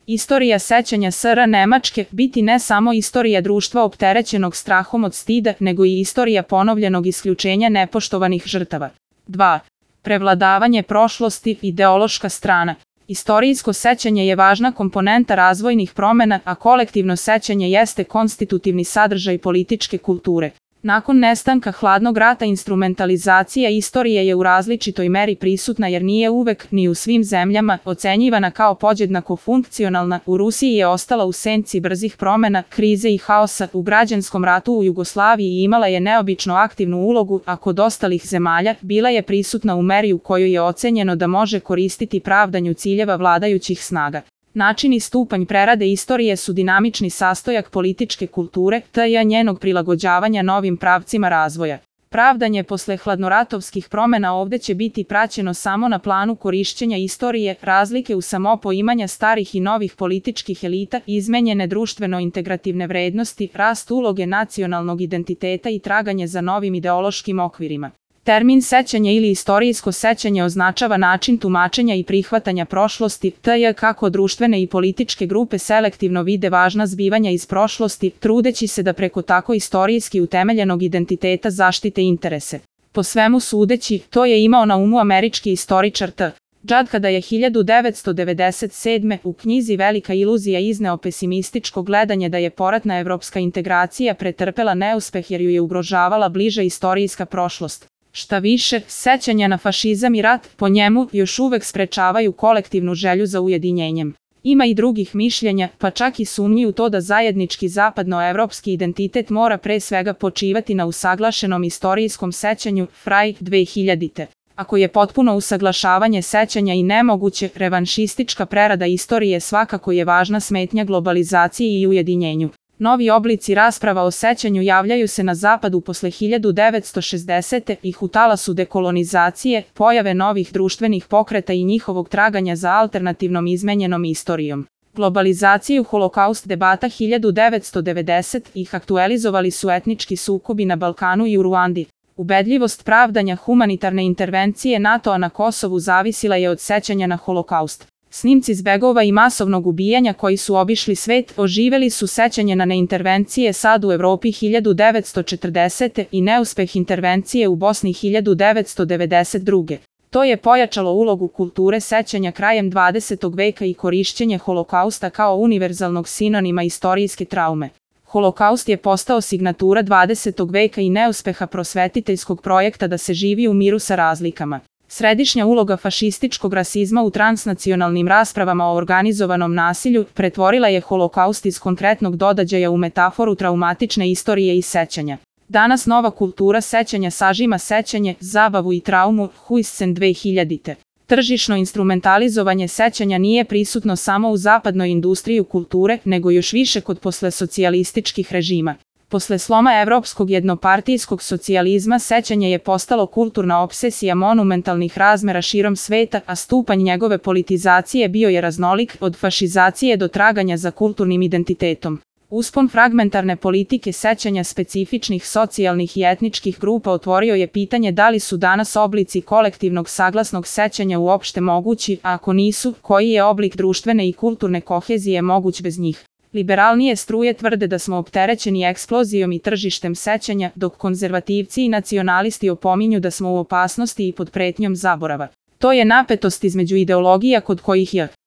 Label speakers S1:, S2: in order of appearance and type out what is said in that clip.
S1: Istorija sećanja SR Nemačke biti ne samo istorija društva opterećenog strahom od stida, nego i istorija ponovljenog isključenja nepoštovanih žrtava. 2. Prevladavanje prošlosti, ideološka strana. Istorijsko sećanje je važna komponenta razvojnih promena, a kolektivno sećanje jeste konstitutivni sadržaj političke kulture. Nakon nestanka hladnog rata instrumentalizacija istorije je u različitoj meri prisutna jer nije uvek, ni u svim zemljama, ocenjivana kao podjednako funkcionalna. U Rusiji je ostala u senci brzih promena, krize i haosa. U građanskom ratu u Jugoslaviji imala je neobično aktivnu ulogu, a kod ostalih zemalja bila je prisutna u meri u kojoj je ocenjeno da može koristiti pravdanju ciljeva vladajućih snaga. Način i stupanj prerade istorije su dinamični sastojak političke kulture, te i njenog prilagođavanja novim pravcima razvoja. Pravdanje posle hladnoratovskih promena ovde će biti praćeno samo na planu korišćenja istorije, razlike u samopoimanja starih i novih političkih elita, izmenjene društveno-integrativne vrednosti, rast uloge nacionalnog identiteta i traganje za novim ideološkim okvirima. Termin sećanje ili istorijsko sećanje označava način tumačenja i prihvatanja prošlosti, te kako društvene i političke grupe selektivno vide važna zbivanja iz prošlosti, trudeći se da preko tako istorijski utemeljenog identiteta zaštite interese. Po svemu sudeći, to je imao na umu američki istoričar T. Judd kada je 1997. u knjizi Velika iluzija izneo pesimističko gledanje da je poratna evropska integracija pretrpela neuspeh jer ju je ugrožavala bliža istorijska prošlost. Šta više, sećanja na fašizam i rat, po njemu, još uvek sprečavaju kolektivnu želju za ujedinjenjem. Ima i drugih mišljenja, pa čak i sumnji u to da zajednički zapadnoevropski identitet mora pre svega počivati na usaglašenom istorijskom sećanju, Fraj, 2000. Ako je potpuno usaglašavanje sećanja i nemoguće, revanšistička prerada istorije svakako je važna smetnja globalizaciji i ujedinjenju. Novi oblici rasprava o sećanju javljaju se na zapadu posle 1960. ih u talasu dekolonizacije, pojave novih društvenih pokreta i njihovog traganja za alternativnom izmenjenom istorijom. Globalizaciju holokaust debata 1990 ih aktualizovali su etnički sukobi na Balkanu i u Ruandi. Ubedljivost pravdanja humanitarne intervencije NATO-a na Kosovu zavisila je od sećanja na holokaust. Snimci zbegova i masovnog ubijanja koji su obišli svet oživeli su sećanje na neintervencije SAD u Evropi 1940. i neuspeh intervencije u Bosni 1992. To je pojačalo ulogu kulture sećanja krajem 20. veka i korišćenje holokausta kao univerzalnog sinonima istorijske traume. Holokaust je postao signatura 20. veka i neuspeha prosvetiteljskog projekta da se živi u miru sa razlikama. Središnja uloga fašističkog rasizma u transnacionalnim raspravama o organizovanom nasilju pretvorila je holokaust iz konkretnog događaja u metaforu traumatične istorije i sećanja. Danas nova kultura sećanja sažima sećanje, zabavu i traumu, Huijsen 2000. Tržišno instrumentalizovanje sećanja nije prisutno samo u zapadnoj industriji kulture, nego još više kod poslesocijalističkih režima. Posle sloma evropskog jednopartijskog socijalizma sećanje je postalo kulturna opsesija monumentalnih razmera širom sveta, a stupanj njegove politizacije bio je raznolik, od fašizacije do traganja za kulturnim identitetom. Uspon fragmentarne politike sećanja specifičnih socijalnih i etničkih grupa otvorio je pitanje da li su danas oblici kolektivnog saglasnog sećanja uopšte mogući, a ako nisu, koji je oblik društvene i kulturne kohezije moguć bez njih. Liberalnije struje tvrde da smo opterećeni eksplozijom i tržištem sećanja, dok konzervativci i nacionalisti opominju da smo u opasnosti i pod pretnjom zaborava. To je napetost između ideologija kod kojih je